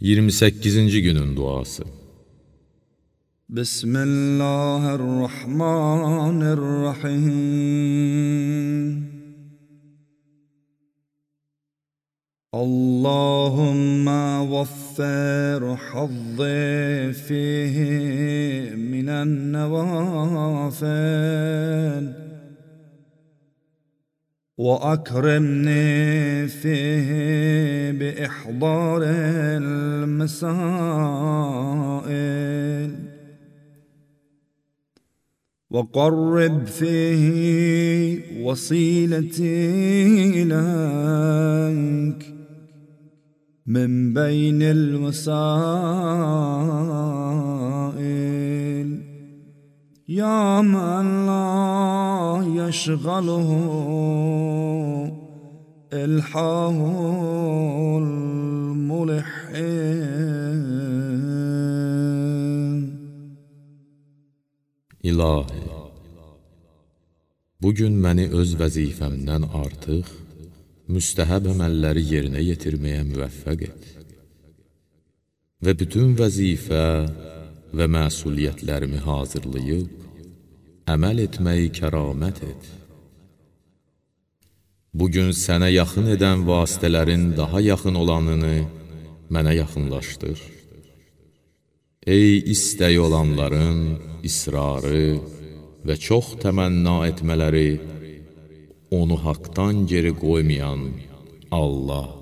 28-ci günün duası. Bismillahirrahmanirrahim. Allahumma waffir hazzi fihi minen nevafil وأكرمني فيه بإحضار المسائل وقرب فيه وصيلتي إليك من بين الوسائل يا من لا يشغله إلحاه الملحين. İlahi, bugün məni öz vəzifəmdən artıq, müstəhəb əməlləri yerinə yetirməyə müvəffəq et və bütün vəzifə və məsuliyyətlərimi hazırlayıb, əməl etməyi kəramət et. Bugün sənə yaxın edən vasitələrin daha yaxın olanını mənə yaxınlaşdır. Ey istəyi olanların israrı və çox təmənna etmələri, onu haqdan geri qoymayan Allah.